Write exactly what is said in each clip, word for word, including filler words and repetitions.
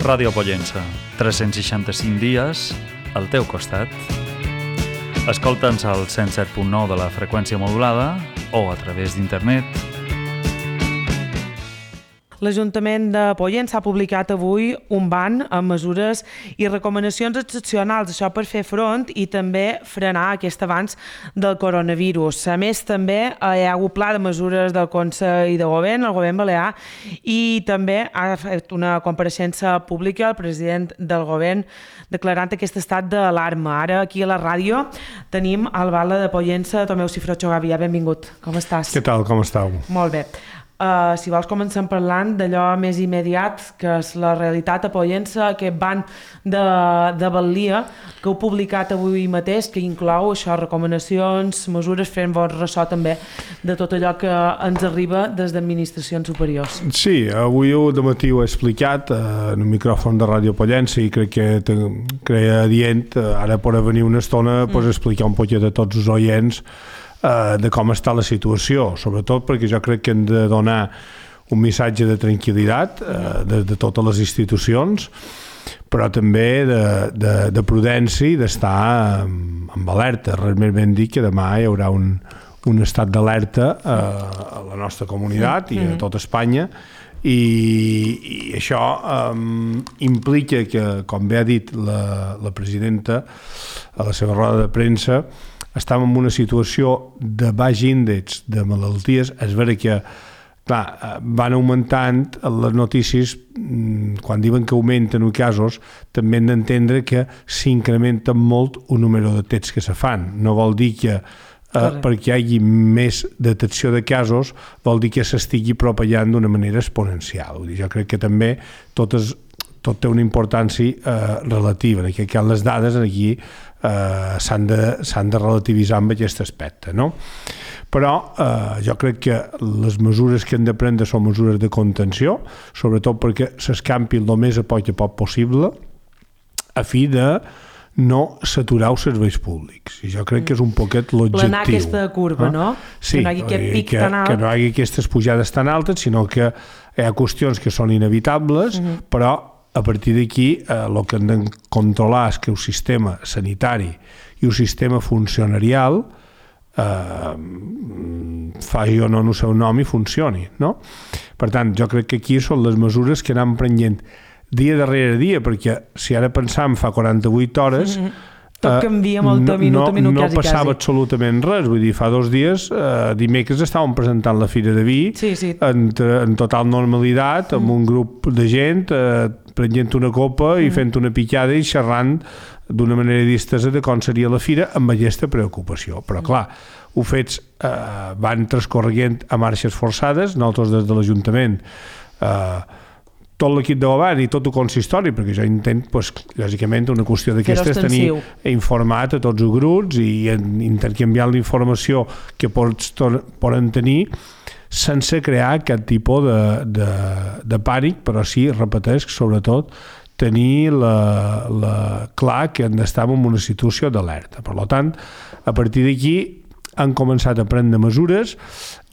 Ràdio Pollença, tres-cents seixanta-cinc dies al teu costat. Escolta'ns al cent set punt nou de la freqüència modulada o a través d'internet. L'Ajuntament de Pollença ha publicat avui un ban amb mesures i recomanacions excepcionals, això per fer front i també frenar aquest avanç del coronavirus. A més, també hi ha hagut pla de mesures del Consell de Govern, el Govern Balear, i també ha fet una compareixença pública el president del Govern declarant aquest estat d'alarma. Ara, aquí a la ràdio, tenim el Bala de Pollença, Tomeu Cifrocho Gavia. Benvingut. Com estàs? Què tal, com estàu? Molt bé. Uh, si vols comencem parlant d'allò més immediat, que és la realitat a Pollença, aquest ban de, de Balia, que heu publicat avui mateix, que inclou això, recomanacions, mesures, fent-vos ressò també de tot allò que ens arriba des d'administracions superiors. Sí, avui de matí ho he explicat eh, en un micròfon de Ràdio Pollença i crec que creia adient, eh, ara per venir una estona, mm. pues, explicar un poquet a tots els oients Uh, de com està la situació, sobretot perquè jo crec que hem de donar un missatge de tranquil·litat uh, de, de totes les institucions, però també de, de, de prudència i d'estar um, amb alerta. Res més ben dir que demà hi haurà un, un estat d'alerta uh, a la nostra comunitat i a tota Espanya, i, i això um, implica que, com bé ha dit la, la presidenta a la seva roda de premsa, estàvem en una situació de baix índex de malalties. És vera que clar, van augmentant les notícies, quan diuen que augmenten els casos, també hem d'entendre que s'incrementen molt el número de tests que se fan. No vol dir que eh, perquè hi hagi més detecció de casos, vol dir que s'estigui propagant d'una manera exponencial. Jo crec que també totes tot té una importància eh, relativa, en aquest cas les dades aquí eh, s'han de, s'han de relativitzar amb aquest aspecte, no? Però eh, jo crec que les mesures que hem de prendre són mesures de contenció, sobretot perquè s'escampi el més a poc a poc possible, a fi de no saturar els serveis públics. I jo crec que és un poquet l'objectiu. Planar aquesta curva, eh? No? Sí, que no hi hagi aquest pic que, tan alt. Que no hi hagi aquestes pujades tan altes, sinó que hi ha qüestions que són inevitables, uh-huh. però a partir d'aquí eh, el que hem de controlar és que el sistema sanitari i el sistema funcionarial eh, faci o no el seu nom i funcioni, no? Per tant, jo crec que aquí són les mesures que anem prenent dia darrere dia, perquè si ara pensam fa quaranta-vuit hores, mm-hmm. tot canvia molt de minut a minut, no, no quasi, passava quasi. absolutament res. Vull dir, fa dos dies, eh, dimecres estàvem presentant la Fira de Vi sí, sí. En, en total normalitat, amb mm. un grup de gent eh, prenent una copa mm. i fent una picada i xerrant d'una manera distesa de com seria la fira amb aquesta preocupació. Però clar, ho fets eh, van transcorrent a marxes forçades, nosaltres des de l'Ajuntament eh, tot l'equip de govern i tot el consistori, perquè jo intent, pues, lògicament, una qüestió d'aquestes tenir informat a tots els grups i intercanviar la informació que pots, poden tenir sense crear cap tipus de, de, de pànic, però sí, repeteix, sobretot, tenir la, la, clar que hem d'estar en una situació d'alerta. Per tant, a partir d'aquí han començat a prendre mesures.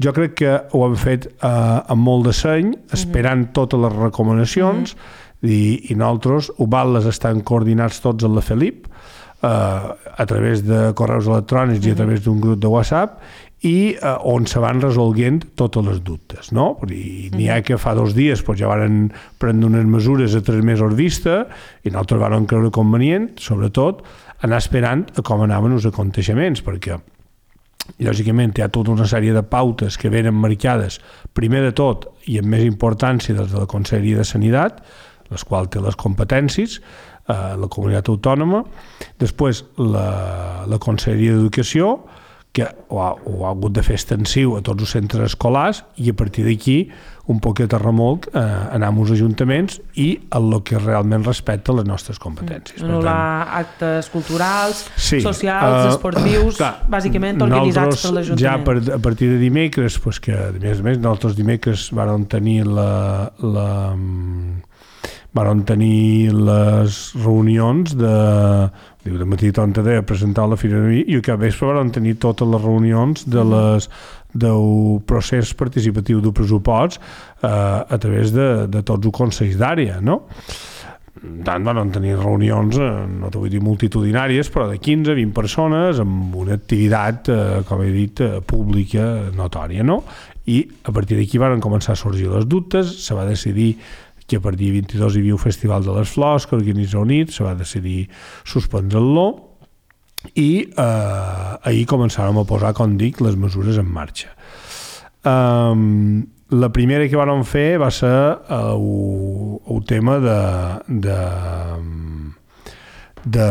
Jo crec que ho han fet eh, amb molt de seny, esperant mm-hmm. totes les recomanacions, mm-hmm. i, i nosaltres, les estan coordinats tots amb la Felip, eh, a través de correus electrònics mm-hmm. i a través d'un grup de WhatsApp, i eh, on se van resolguent totes les dubtes, no? I n'hi ha que fa dos dies pues, ja van prendre unes mesures a tres mesos vista i nosaltres vam creure convenient, sobretot, anar esperant a com anaven els aconteixements, perquè lògicament hi ha tota una sèrie de pautes que venen marcades, primer de tot i amb més importància des de la Conselleria de Sanitat, les quals té les competències, eh, la comunitat autònoma, després la, la Conselleria d'Educació, que ho ha, ho ha hagut de fer extensiu a tots els centres escolars, i a partir d'aquí un poquet a remolc eh, anar als ajuntaments i a el que realment respecta les nostres competències. Mm. Anul·lar actes culturals, sí, socials, uh, esportius, clar, bàsicament organitzats per l'Ajuntament. Ja per, a partir de dimecres, pues que a més a més nosaltres dimecres vàrem tenir la, la vàrem tenir les reunions de de matí tonta de presentar la Fira de Vi i que a vespre vàrem tenir totes les reunions de les del procés participatiu del pressupost eh, a través de, de tots els consells d'àrea, no? tant van tenir reunions, no t'ho vull dir multitudinàries, però de quinze a vint persones amb una activitat, eh, com he dit, pública notòria, no? I a partir d'aquí van començar a sorgir les dubtes, se va decidir que a partir del vint-i-dos hi havia un Festival de les Flors que organitza UNIT, se va decidir suspendre-lo i eh, ahir començàvem a posar, com dic, les mesures en marxa. Um, la primera que vam fer va ser el, el tema de de, de,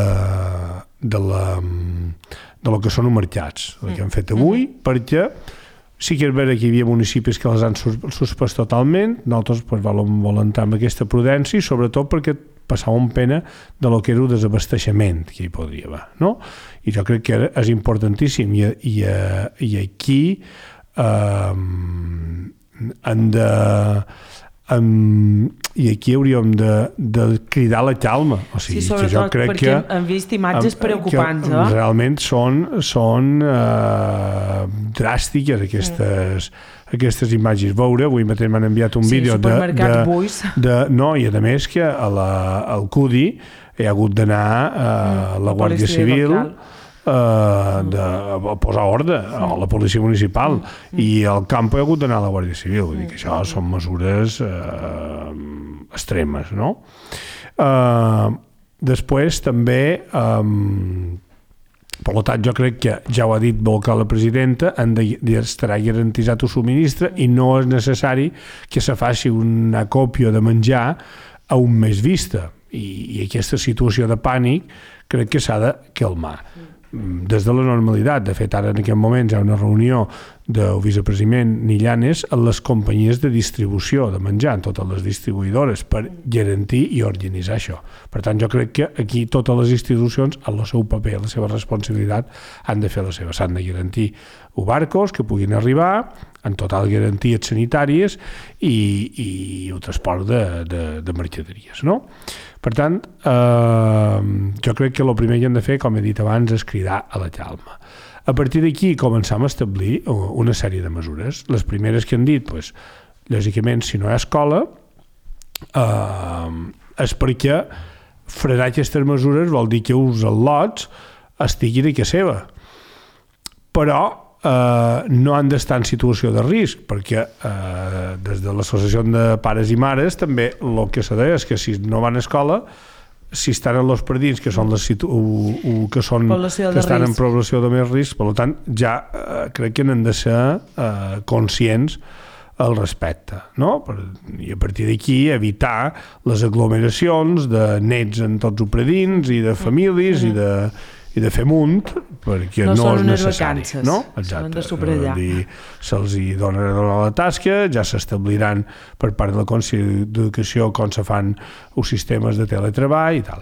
de, la, de lo que són els mercats, el que hem fet avui, mm-hmm. perquè sí que és vera que hi havia municipis que les han suspès totalment, nosaltres pues, volem entrar amb aquesta prudència i sobretot perquè passàvem pena de lo que era el desabasteixement que hi podria haver, no? I jo crec que és importantíssim i, i, i aquí eh, hem de Um, i aquí hauríem de, de cridar la calma, o sigui, sí, sobretot que jo crec perquè que hem vist imatges um, preocupants, eh? Realment són, són uh, dràstiques aquestes, mm. aquestes imatges. Veure, avui mateix m'han enviat un sí, vídeo de, de, de, no, i a més que a la, al C U D I hi ha hagut d'anar uh, mm, la Guàrdia Civil local. Uh, de, a posar ordre a la policia municipal mm. i al camp hi ha hagut d'anar a la Guàrdia Civil, vull dir que això són mesures uh, extremes, no? Uh, després també um, per tant jo crec que ja ho ha dit molt clar la presidenta, han de, de estarà garantitzat el subministre i no és necessari que se faci una còpia de menjar a un mes vista i, i aquesta situació de pànic crec que s'ha de calmar des de la normalitat. De fet, ara en aquest moment hi ha una reunió del vicepresident Nillanes en les companyies de distribució de menjar, en totes les distribuïdores, per garantir i organitzar això. Per tant, jo crec que aquí totes les institucions, en el seu paper, la seva responsabilitat, han de fer la seva. S'han de garantir barcos que puguin arribar en total garanties sanitàries i, i el transport de, de, de mercaderies, no? Per tant, eh, jo crec que el primer que hem de fer, com he dit abans, és cridar a la calma. A partir d'aquí començam a establir una sèrie de mesures. Les primeres que han dit, doncs, lògicament, si no hi ha escola, eh, és perquè frenar aquestes mesures vol dir que els al·lots estiguin a casa seva. Però eh, no han d'estar en situació de risc, perquè eh, des de l'associació de pares i mares també el que s'ha de dir és que si no van a escola, si estan en els predins, que són les situ... o, o que són que estan en població de més risc, per tant, ja eh, crec que n'han de ser eh, conscients al respecte, no? I a partir d'aquí evitar les aglomeracions de nets en tots els predins i de famílies mm-hmm. i de i de fer munt, perquè no, no és necessari. Vacances, no? Exacte. De subratllar. Se'ls hi dona la tasca, ja s'establiran per part de la Conselleria d'Educació com se fan els sistemes de teletreball i tal.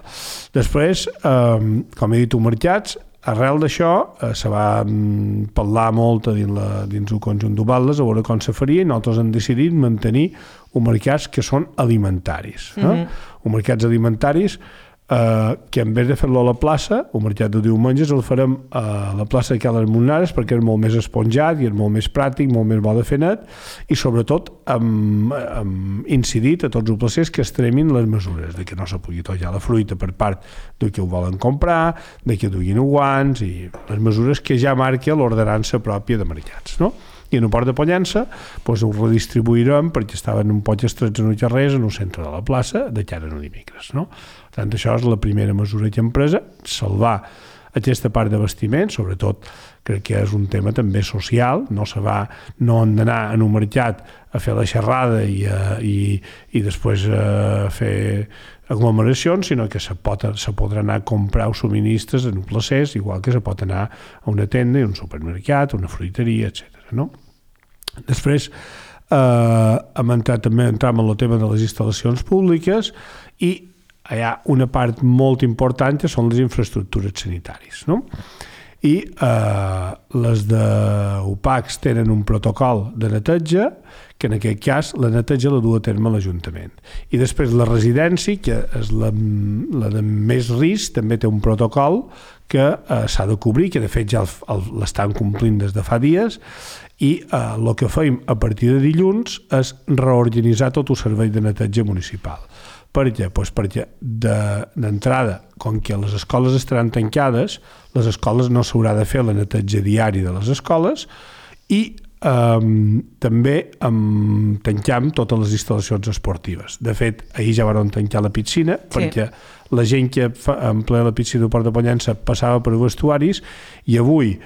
Després, eh, com he dit, els mercats, arrel d'això, eh, se va mm, parlar molt dins, la, dins el conjunt d'Ubaldes a veure com se faria i nosaltres hem decidit mantenir els mercats que són alimentaris. Eh? Mm-hmm. Els mercats alimentaris Uh, que en vez de fer-lo a la plaça, el mercat de diumenges el farem a la plaça de Cales Monares perquè és molt més esponjat i és molt més pràctic, molt més bo de fer net i sobretot hem, hem incidit a tots els placers que estremin les mesures de que no se pugui tollar la fruita per part de que ho volen comprar, de que duguin guants i les mesures que ja marca l'ordenança pròpia de mercats, no? I en el port de Pollença doncs ho redistribuirem perquè estaven un poc estrets en el carrer en el centre de la plaça de cara a dimecres, no? Per tant, això és la primera mesura que hem pres, salvar aquesta part de vestiment, sobretot crec que és un tema també social, no se va, no han d'anar en un mercat a fer la xerrada i, a, i, i després a fer aglomeracions, sinó que se, pot, se podrà anar a comprar els subministres en un placers, igual que se pot anar a una tenda, a un supermercat, a una fruiteria, etcètera. No? Després eh, hem entrat també entram en el tema de les instal·lacions públiques i hi ha una part molt important que són les infraestructures sanitàries, no? I eh, les d'U P A Cs tenen un protocol de neteja que en aquest cas la neteja la du a terme l'Ajuntament. I després la residència, que és la, la de més risc, també té un protocol que eh, s'ha de cobrir, que de fet ja l'estan complint des de fa dies, i eh, el que feim a partir de dilluns és reorganitzar tot el servei de neteja municipal. Per què? Pues perquè d'entrada, com que les escoles estaran tancades, les escoles no s'haurà de fer la neteja diària de les escoles i Um, també um, tanquem totes les instal·lacions esportives. De fet, ahir ja van tancar la piscina, sí, perquè la gent que fa, emplea la piscina del Port de Pollença passava per vestuaris i avui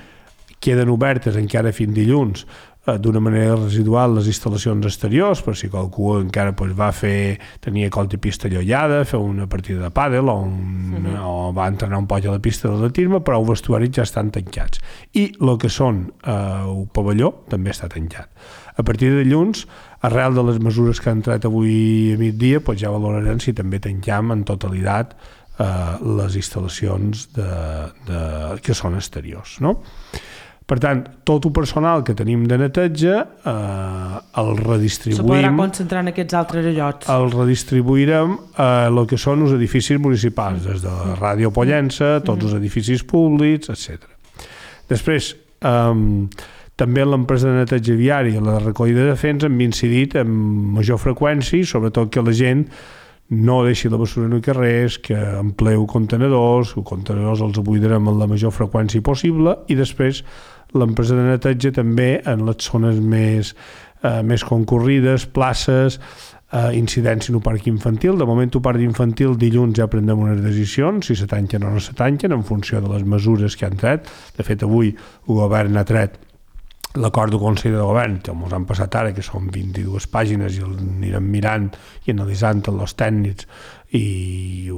queden obertes encara fins dilluns eh, d'una manera residual les instal·lacions exteriors, per si qualcú encara pues, va fer, tenia coll de pista llollada, fer una partida de pàdel o, un, mm-hmm. o va entrenar un poc a la pista d'atletisme, però els vestuaris ja estan tancats. I el que són eh, el pavelló també està tancat. A partir de dilluns, arrel de les mesures que han entrat avui a migdia, pues, ja valorarem si també tanquem en totalitat eh, les instal·lacions de, de, que són exteriors, no? Per tant, tot el personal que tenim de neteja eh, el redistribuïm... Se podrà concentrar en aquests altres llocs. El redistribuirem a el que són els edificis municipals, des de la Ràdio Pollença, tots els edificis públics, etcètera. Després, eh, també l'empresa de neteja viària i la recollida de fens hem incidit amb major freqüència, sobretot que la gent no deixi la bessura en els carrers, que empleu contenedors, els contenedors els buidarem amb la major freqüència possible i després l'empresa de neteja també en les zones més, eh, més concurrides, places, eh, incidència en el parc infantil. De moment el parc infantil dilluns ja prendrem unes decisions, si se tanquen o no se tanquen, en funció de les mesures que han tret. De fet, avui el govern ha tret l'acord del Consell de Govern, que ens han passat ara, que són vint-i-dues pàgines i el anirem mirant i analitzant els tècnics i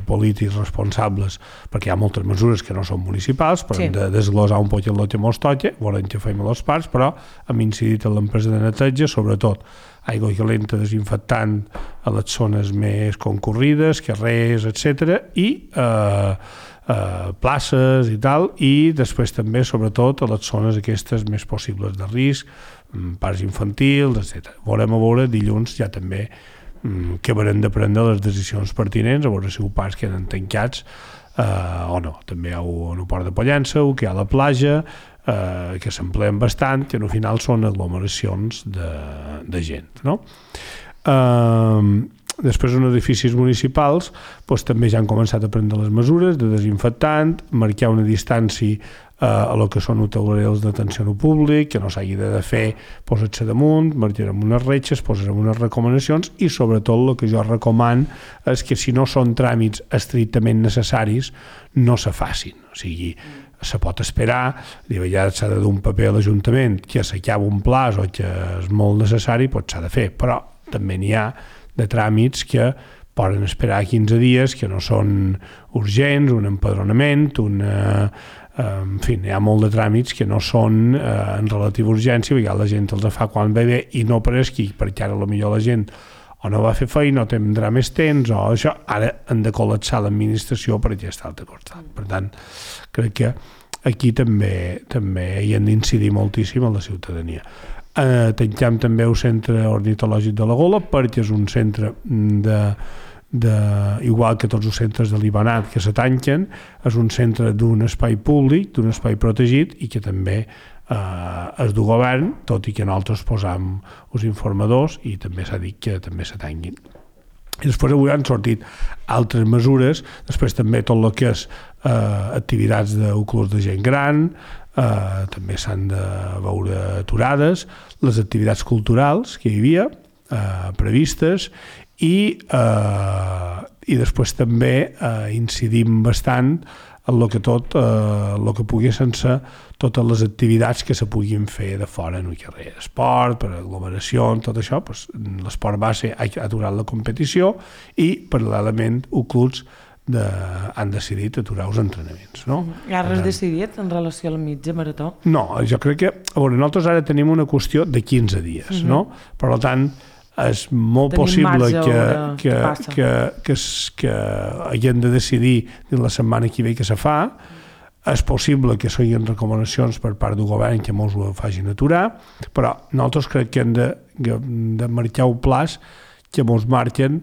polítics responsables, perquè hi ha moltes mesures que no són municipals, però sí, hem de desglosar un poc el que mos toca, volem que fem a les parts, però hem incidit en l'empresa de neteja, sobretot aigua calenta desinfectant a les zones més concurrides, carrers, etcètera, i eh, eh, places i tal, i després també, sobretot, a les zones aquestes més possibles de risc, parcs infantils, etcètera. Volem a veure dilluns ja també que haurem de prendre les decisions pertinents, a veure si els parcs queden tancats eh, o no. També hi ha el Port de Pollença, que hi ha la platja, eh, que s'empleen bastant, que al final són aglomeracions de, de gent, no? Eh, després, en edificis municipals, doncs, també ja han començat a prendre les mesures de desinfectant, marcar una distància a el que són hotelers d'atenció al públic, que no s'hagi de fer, posar-se damunt, marcarem unes retxes, posarem unes recomanacions i sobretot el que jo recoman és que si no són tràmits estrictament necessaris no se facin, o sigui, se pot esperar, ja s'ha de dur un paper a l'Ajuntament que s'acaba un plaç o que és molt necessari, doncs s'ha de fer, però també n'hi ha de tràmits que poden esperar quinze dies, que no són urgents, un empadronament, una... en fi, hi ha molt de tràmits que no són eh, en relativa urgència, perquè la gent els fa quan ve bé i no per esquí, perquè ara potser la gent o no va fer feina o tindrà més temps o això, ara han de col·lapsar l'administració per aquest altre costat. Per tant, crec que aquí també també hi hem d'incidir moltíssim a la ciutadania. Eh, tanquem també el centre ornitològic de la Gola perquè és un centre de De, igual que tots els centres de l'Ibanat que se tanquen, és un centre d'un espai públic, d'un espai protegit i que també eh, és del govern, tot i que nosaltres posam els informadors i també s'ha dit que també se tanquin. I després avui han sortit altres mesures, després també tot el que és eh, activitats d'un club de gent gran, eh, també s'han de veure aturades, les activitats culturals que hi havia eh, previstes, i, eh, i després també eh, incidim bastant en el que tot, eh, el que pugui sense totes les activitats que se puguin fer de fora en el carrer, esport, per aglomeració, tot això, doncs, l'esport base ha aturat la competició i paral·lelament els clubs de, han decidit aturar els entrenaments. No? I ara has decidit en relació a la mitja marató? No, jo crec que, a veure, nosaltres ara tenim una qüestió de quinze dies, uh-huh. no? Per tant, és molt Tenim possible que, que, que, que, que hagin de decidir la setmana que ve que se fa, és possible que siguin recomanacions per part del govern que molts ho facin aturar, però nosaltres crec que hem de, de marcar un plaç que molts marquen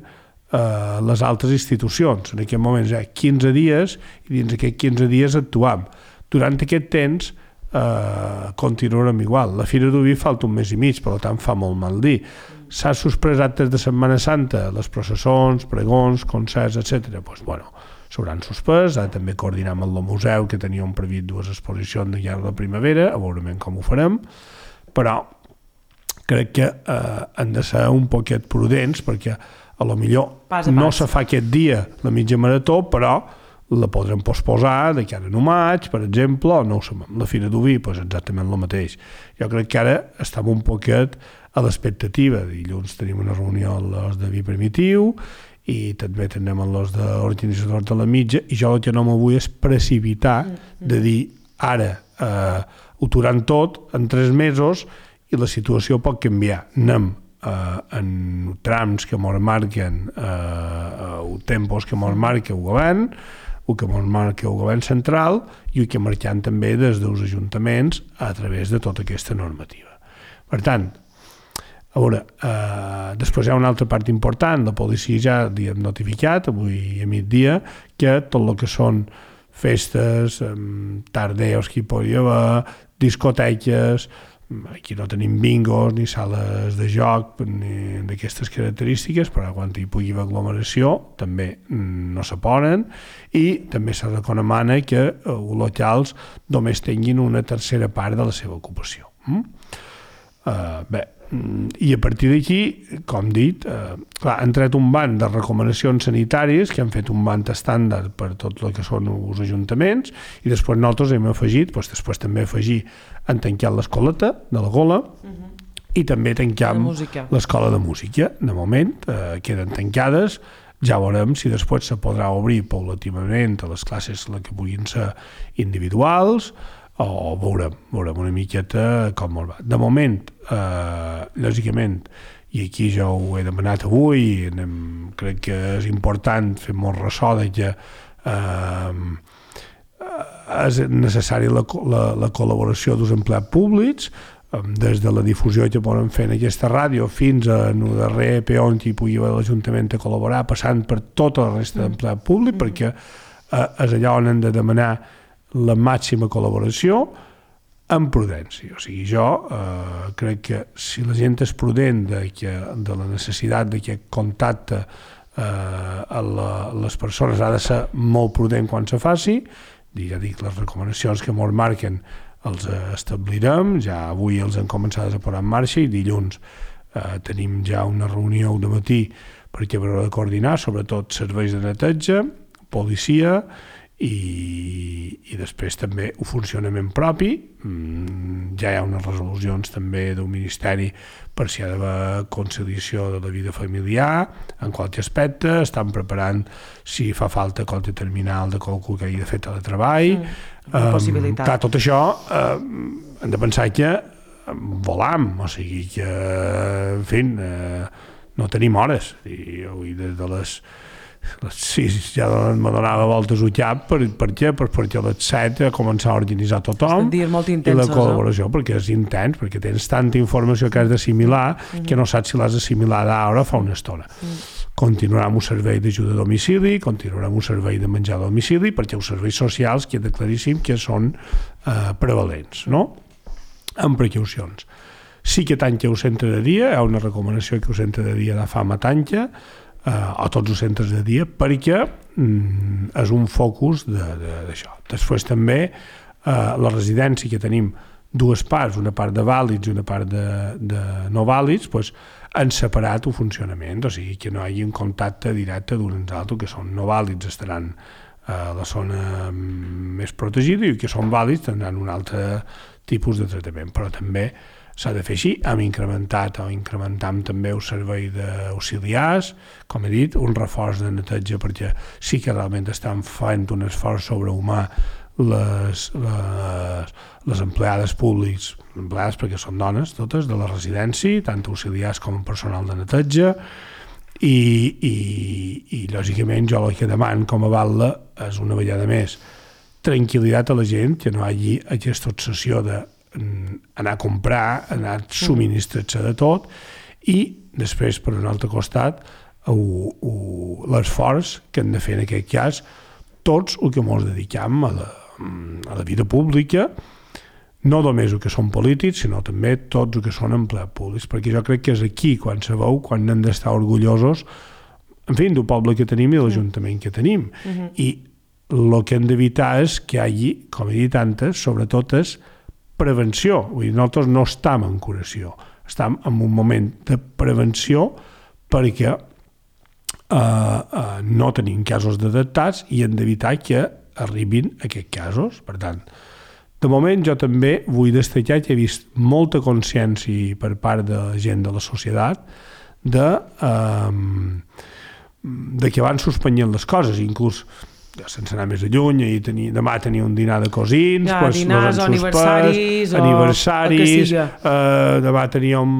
eh, les altres institucions. En aquest moment hi ha quinze dies i dins d'aquests quinze dies actuam. Durant aquest temps eh, continuarem igual. La Fira d'Oví falta un mes i mig, per tant fa molt mal dir. S'ha suspès actes de Setmana Santa, les processons, pregons, concerts, etcètera. Doncs, bueno, s'hauran suspès, ara també coordinem amb el museu, que teníem previst dues exposicions de llarg de primavera, a veure com ho farem, però crec que eh, han de ser un poquet prudents, perquè a lo millor pas a pas. No se fa aquest dia la mitja marató, però la podrem posposar de cara a no maig, per exemple, o no ho sabem. La Fira d'Oví, doncs exactament el mateix. Jo crec que ara estem un poquet a l'expectativa. Dilluns tenim una reunió amb els de Vi Primitiu i també tenim amb els d'organitzadors de la mitja, i jo el que no me vull és precipitar de dir ara eh, ho aturan tot en tres mesos i la situació pot canviar. Anem Uh, en trams que mos marquen uh, uh, tempos que mos marca el govern, el que mos marca el govern central i el que marxant també des dels ajuntaments a través de tota aquesta normativa. Per tant, a veure, uh, després hi ha una altra part important. La policia ja li hem notificat avui a migdia que tot el que són festes, um, tardeus que hi pugui haver, discoteques, aquí no tenim bingos ni sales de joc ni d'aquestes característiques, però quan hi pugui haver aglomeració també no se poden, i també se recomana que els locals només tinguin una tercera part de la seva ocupació. Mm? Uh, bé, i a partir d'aquí, com dit, eh, clar, han tret un banc de recomanacions sanitàries que han fet un banc estàndard per tot el que són els ajuntaments, i després nosaltres hem afegit, doncs després també afegir, han tancat l'escoleta de la Gola, uh-huh. i també tanquem l'escola de música. De moment eh, queden tancades, ja veurem si després se podrà obrir paulativament a les classes que puguin ser individuals, o veurem, veurem una miqueta com va. De moment, eh, lògicament, i aquí jo ho he demanat avui, anem, crec que és important fer molt ressò de que eh, és necessària la, la, la col·laboració dels empleats públics, eh, des de la difusió que poden fer en aquesta ràdio fins a el darrer peó on hi pugui haver l'Ajuntament a col·laborar, passant per tota la resta d'empleat públic, mm. perquè eh, és allà on hem de demanar la màxima col·laboració amb prudència. O sigui, jo eh, crec que si la gent és prudent de, que, de la necessitat de que contacte eh, a, la, a les persones ha de ser molt prudent quan se faci, ja dic, les recomanacions que ens marquen els establirem, ja avui els hem començat a posar en marxa, i dilluns eh, tenim ja una reunió de matí perquè haurà de coordinar, sobretot serveis de neteja, policia, I, i després també el funcionament propi. Mm, ja hi ha unes resolucions també del Ministeri per si hi ha d'haver conciliació de la vida familiar en qualsevol aspecte. Estan preparant si fa falta qualsevol terminal de qualcú que hagi de fer teletreball. Mm, um, clar, tot això eh, hem de pensar que volam, o sigui que en fi, eh, no tenim hores, i avui des de les les sis ja me donava voltes al cap. Per, per què? Per, perquè a les set ha començat a organitzar tothom i la col·laboració, no? Perquè és intens, perquè tens tanta informació que has d'assimilar mm-hmm. que no saps si l'has d'assimilar ara o fa una estona. Mm. Continuarà amb un servei d'ajuda a domicili, continuarà amb un servei de menjar a domicili, perquè els serveis socials queda claríssim que són eh, prevalents, no? Amb precaucions. Sí que tanca el centre de dia, hi ha una recomanació que el centre de dia de fama tanca, Uh, a tots els centres de dia, perquè mm, és un focus d'això. Després també uh, la residència, que tenim dues parts, una part de vàlids i una part de, de no vàlids, doncs, han separat el funcionament, o sigui que no hi hagi un contacte directe d'un amb l'altre. Que són no vàlids estaran a la zona més protegida i que són vàlids tindran un altre tipus de tractament, però també s'ha de fer així. Hem incrementat o incrementam també el servei d'auxiliars, com he dit, un reforç de neteja, perquè sí que realment estan fent un esforç sobrehumà les, les, les empleades públics, empleades perquè són dones totes, de la residència, tant auxiliars com personal de neteja, i, i, i lògicament jo el que demano com a batlle és una vegada més tranquil·litat a la gent, que no hi hagi aquesta obsessió de anar a comprar, anar a subministrar-se de tot, i després, per un altre costat, l'esforç que hem de fer en aquest cas tots el que ens dediquem a la, a la vida pública, no només el que són polítics, sinó també tots els que són empleats públics, perquè jo crec que és aquí quan se veu, quan hem d'estar orgullosos, en fi, del poble que tenim i de l'Ajuntament que tenim. Uh-huh. I el que hem d'evitar és que hi hagi, com he dit antes, sobretot és prevenció. Vull dir, nosaltres no estem en curació, estem en un moment de prevenció perquè uh, uh, no tenim casos detectats i hem d'evitar que arribin aquests casos. Per tant, de moment jo també vull destacar que he vist molta consciència per part de la gent de la societat de, um, de que van suspenyent les coses, inclús sense anar més lluny, i tenir, demà tenia un dinar de cosins, ja, pues, dinars o aniversaris, o aniversaris uh, demà teníem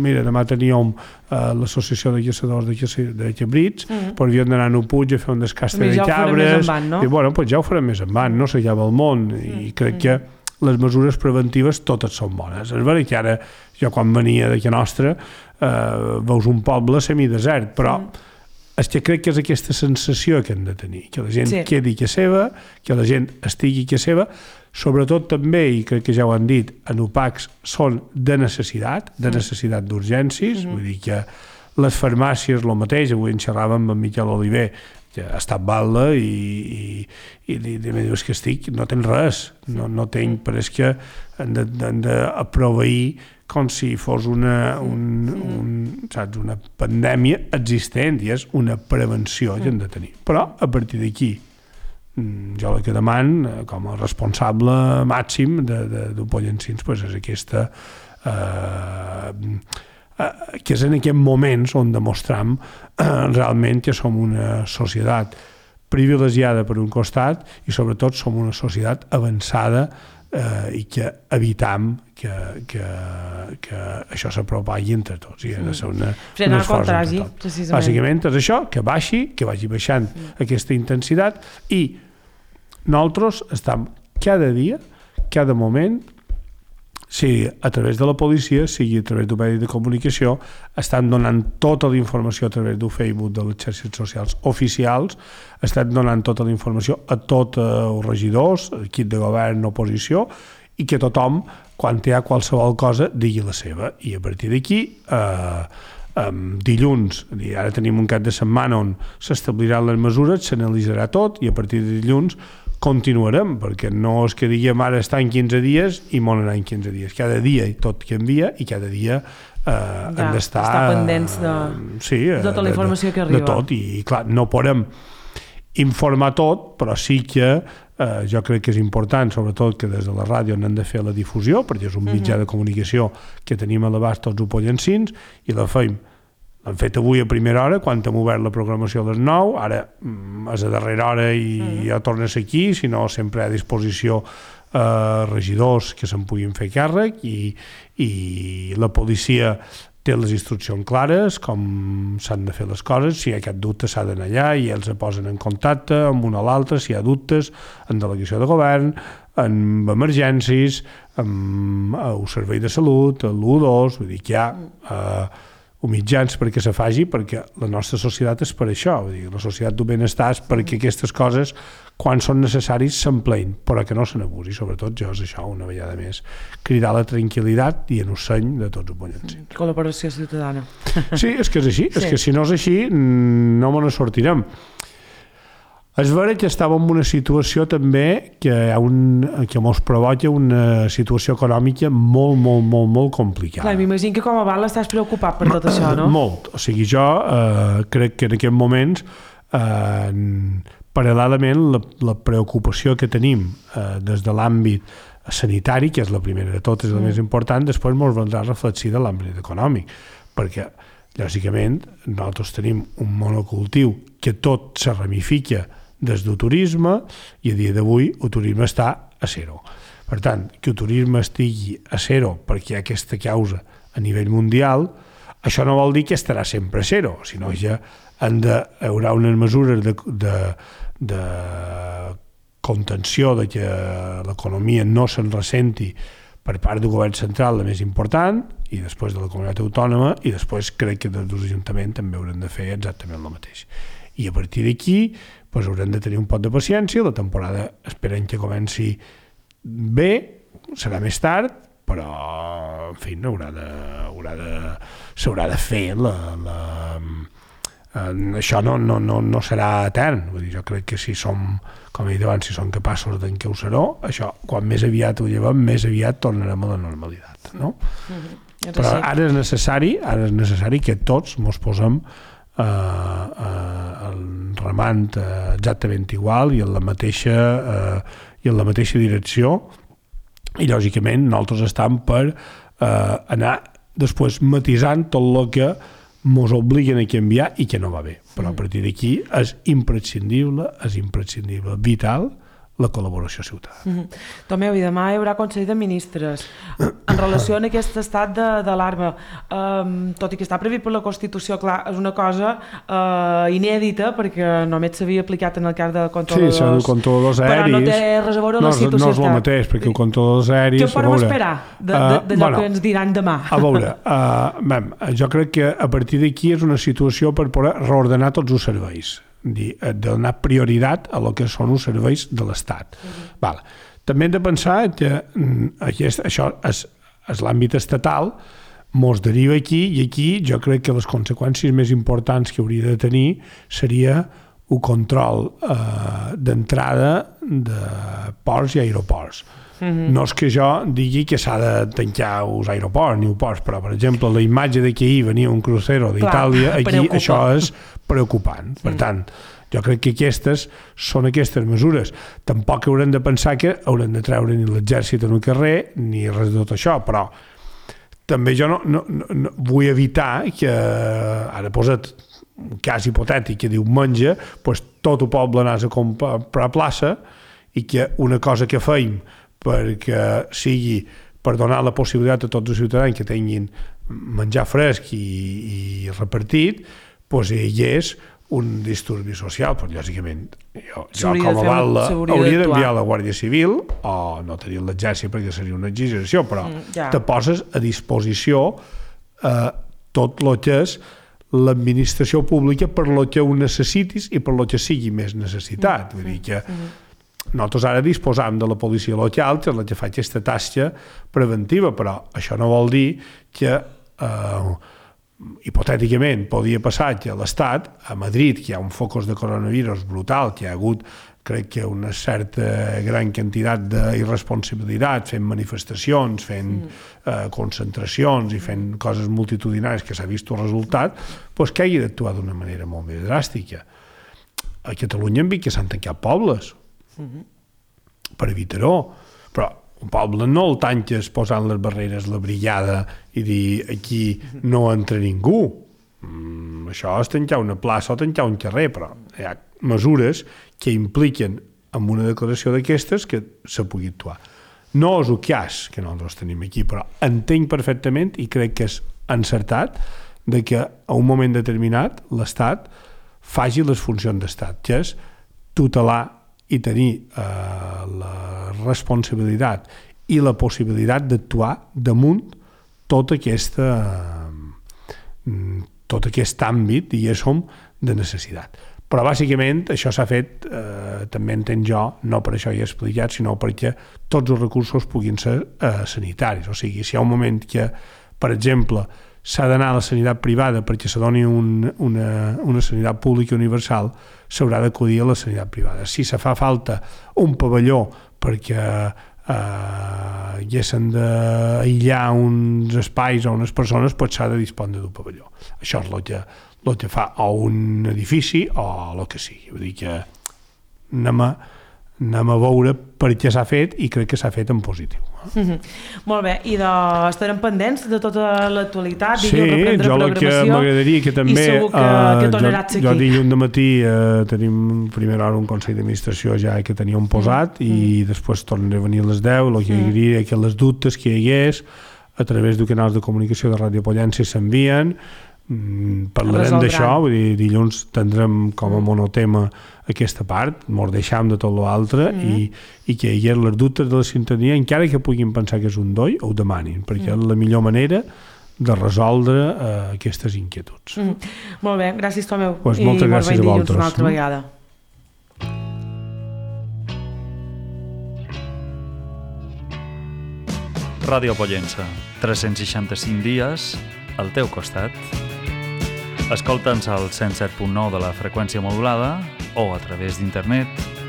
mira, demà teníem uh, l'associació de caçadors de, de cabrits, mm. però havíem d'anar a un puig a fer un descastre de ja cabres, van, no? i bueno, pues ja ho farem més endavant, no s'acaba el món, mm. i crec mm. que les mesures preventives totes són bones. És veritat que ara, jo quan venia d'aquí nostra, uh, veus un poble semidesert, però mm. és que crec que és aquesta sensació que hem de tenir, que la gent sí. quedi que seva, que la gent estigui que seva, sobretot també, i crec que ja ho han dit, en O P A Cs són de necessitat, de necessitat d'urgències, mm-hmm. vull dir que les farmàcies, el mateix, avui en xerràvem amb Miquel Oliver, que ha estat balda i, i, i, i em dius que estic, no tens res, no, no tinc, però és que han de, han de proveir com si fos una, un, un, saps, una pandèmia existent, i és una prevenció que hem de tenir. Però a partir d'aquí, jo el que demano com a responsable màxim d'un Pollencins pues és aquesta eh, eh, que és en aquests moments on demostram eh, realment que som una societat privilegiada per un costat i sobretot som una societat avançada eh, i que evitam que, que, que això s'apropagui entre tots i ha de ser una, un esforç entre tots. Bàsicament és això, que baixi, que vagi baixant mm. aquesta intensitat i nosaltres estem cada dia, cada moment, sigui a través de la policia, sigui a través d'un medi de comunicació, estan donant tota la informació a través del Facebook de les xarxes socials oficials, estan donant tota la informació a tots els regidors, equip de govern, oposició, i que tothom, quan hi ha qualsevol cosa, digui la seva. I a partir d'aquí, eh, eh, dilluns, ara tenim un cap de setmana on s'establiran les mesures, s'analitzarà tot, i a partir de dilluns continuarem, perquè no és que diguem ara està en quinze dies i molt anar en quinze dies. Cada dia tot canvia i cada dia eh, ja, hem d'estar... Estar pendents de, sí, de tota la informació de, que arriba. De tot, i clar, no podem informar tot, però sí que eh, jo crec que és important, sobretot que des de la ràdio n'hem de fer la difusió, perquè és un mitjà uh-huh. de comunicació que tenim a l'abast tots els pollencins, i la feim l'hem fet avui a primera hora, quan hem obert la programació a les nou, ara és a darrera hora i mm. ja tornes aquí, si no sempre a disposició eh, regidors que se'n puguin fer càrrec i, i la policia té les instruccions clares, com s'han de fer les coses, si hi ha cap dubte s'ha d'anar allà i ells es posen en contacte amb un o l'altre, si hi ha dubtes, en delegació de govern, en emergències, amb el servei de salut, l'u dos, vull dir que hi ha... Eh, o mitjans perquè se faci, perquè la nostra societat és per això, vull dir, la societat del benestar és perquè aquestes coses, quan són necessaris, s'empleïn, però que no se n'abusi. Sobretot jo és això, una vegada més, cridar la tranquil·litat i en un seny de tots els pollencins. Col·laboració ciutadana. Sí, és que és així, sí. És que si no és així no me ne sortirem. És vera que estàvem en una situació també que, hi ha un, que mos provoca una situació econòmica molt, molt, molt, molt complicada. Clar, m'imagino que com a val estàs preocupat per tot això, no? Molt. O sigui, jo eh, crec que en aquests moments, eh, paral·lelament, la, la preocupació que tenim eh, des de l'àmbit sanitari, que és la primera de totes, és la mm. més important, després mos vendrà reflexir de l'àmbit econòmic, perquè, lògicament, nosaltres tenim un monocultiu que tot se ramifica des del turisme i a dia d'avui el turisme està a zero. Per tant, que el turisme estigui a zero perquè hi ha aquesta causa a nivell mundial, això no vol dir que estarà sempre a zero, sinó que han de, hi haurà unes mesures de, de, de contenció de que l'economia no se'n ressenti per part del govern central, la més important, i després de la comunitat autònoma, i després crec que des de l'Ajuntament també haurem de fer exactament el mateix. I a partir d'aquí doncs haurem de tenir un pot de paciència, la temporada esperem que comenci bé, serà més tard, però, en fi, haurà de, haurà de, s'haurà de fer la... la eh, això no, no, no, no serà etern. Vull dir, jo crec que si som, com he dit abans, si som capaços d'encausar-ho, això, quan més aviat ho llevem, més aviat tornarem a la normalitat, no? Mm-hmm. Però ara és necessari, ara és necessari que tots mos posem eh, eh, remant eh, exactament igual i en la mateixa, eh, i en la mateixa direcció, i lògicament nosaltres estem per eh, anar després matisant tot el que mos obliguen a canviar i que no va bé. Però a partir d'aquí és imprescindible, és imprescindible, vital, la col·laboració ciutadana. Mm-hmm. Tomeu, i demà hi haurà Consell de Ministres. En relació a aquest estat d'alarma, um, tot i que està previst per la Constitució, clar, és una cosa uh, inèdita, perquè només s'havia aplicat en el cas de controladors. Sí, són controladors aèris. Però no té res a veure amb no, la situació. No és el mateix, perquè els controladors aèris... Què podem esperar d'allò uh, bueno, que ens diran demà? A veure, uh, mem, jo crec que a partir d'aquí és una situació per poder reordenar tots els serveis, de donar prioritat a lo que són els serveis de l'Estat. Uh-huh. Vale. També hem de pensar que aquest, això és, és l'àmbit estatal, mos deriva aquí, i aquí jo crec que les conseqüències més importants que hauria de tenir seria el control eh, d'entrada de ports i aeroports. Uh-huh. No és que jo digui que s'ha de tancar els aeroports ni els ports, però, per exemple, la imatge de que ahir venia un crucero d'Itàlia, aquí preocupa. Això és preocupant. Per tant, jo crec que aquestes són aquestes mesures. Tampoc haurem de pensar que haurem de treure ni l'exèrcit en el carrer ni res de tot això, però també jo no, no, no vull evitar que, ara posa't un cas hipotètic que diu menja, doncs tot el poble anàs a comprar a plaça i que una cosa que feim perquè sigui per donar la possibilitat a tots els ciutadans que tinguin menjar fresc i, i repartit, doncs hi és un disturbi social, però lògicament jo, jo com a Val hauria d'enviar la Guàrdia Civil o no tenir l'exèrcit perquè seria una exageració, però mm, ja. Te poses a disposició eh, tot el que és l'administració pública per lo que ho necessitis i per lo que sigui més necessitat. Mm, Vull dir que mm. nosaltres ara disposam de la policia local, que és la que fa aquesta tasca preventiva, però això no vol dir que eh, hipotèticament podia passar que a l'Estat, a Madrid, que hi ha un focus de coronavirus brutal, que hi ha hagut, crec que una certa gran quantitat d'irresponsabilitat, fent manifestacions, fent mm. eh, concentracions i fent coses multitudinàries que s'ha vist el resultat, doncs que hagi d'actuar d'una manera molt més dràstica. A Catalunya hem vist que s'han tancat pobles mm-hmm. per evitar-ho, però un poble no el tanques posant les barreres, la brigada i dir aquí no entra ningú. Mm, això és tancar una plaça o tancar un carrer, però hi ha mesures que impliquen en una declaració d'aquestes que se pugui actuar. No és el cas que nosaltres tenim aquí, però entenc perfectament i crec que és encertat de que a un moment determinat l'Estat faci les funcions d'Estat, que és tutelar i tenir eh, la responsabilitat i la possibilitat d'actuar damunt tot, aquesta, eh, tot aquest àmbit, diguéssim, de necessitat. Però bàsicament això s'ha fet, eh, també entenc jo, no per això he explicat, sinó perquè tots els recursos puguin ser eh, sanitaris. O sigui, si hi ha un moment que, per exemple, s'ha d'anar a la sanitat privada perquè se doni un, una, una sanitat pública universal, s'haurà d'acudir a la sanitat privada. Si se fa falta un pavelló perquè eh, hi haguessin d'aïllar uns espais o unes persones, doncs s'ha de disposar d'un pavelló. Això és el que, el que fa o un edifici o el que sigui. Vull dir que anem a, anem a veure per què s'ha fet i crec que s'ha fet en positiu. Mm-hmm. Molt bé, i de... estarem pendents de tota l'actualitat, sí, jo el que m'agradaria que també i segur que, uh, que tornaràs jo, aquí. Jo dilluns de matí uh, tenim primera hora un Consell d'Administració ja que teníem posat mm. i mm. després tornaré a venir a les deu, el que mm. diria que les dubtes que hi hagués a través de canals de comunicació de Ràdio Pollença s'envien, mm, parlarem d'això, vull dir, dilluns tindrem com a monotema aquesta part, mos deixam de tot l'altre mm. i, i que hi hagi les dubtes de la ciutadania, encara que puguin pensar que és un doi, ho demanin, perquè mm. és la millor manera de resoldre uh, aquestes inquietuds. Mm. Molt bé, gràcies Tomeu. Pues moltes gràcies a vosaltres. Una altra vegada. Ràdio Pollença, tres-cents seixanta-cinc dies al teu costat. Escolta'ns al cent set punt nou de la freqüència modulada o a través d'internet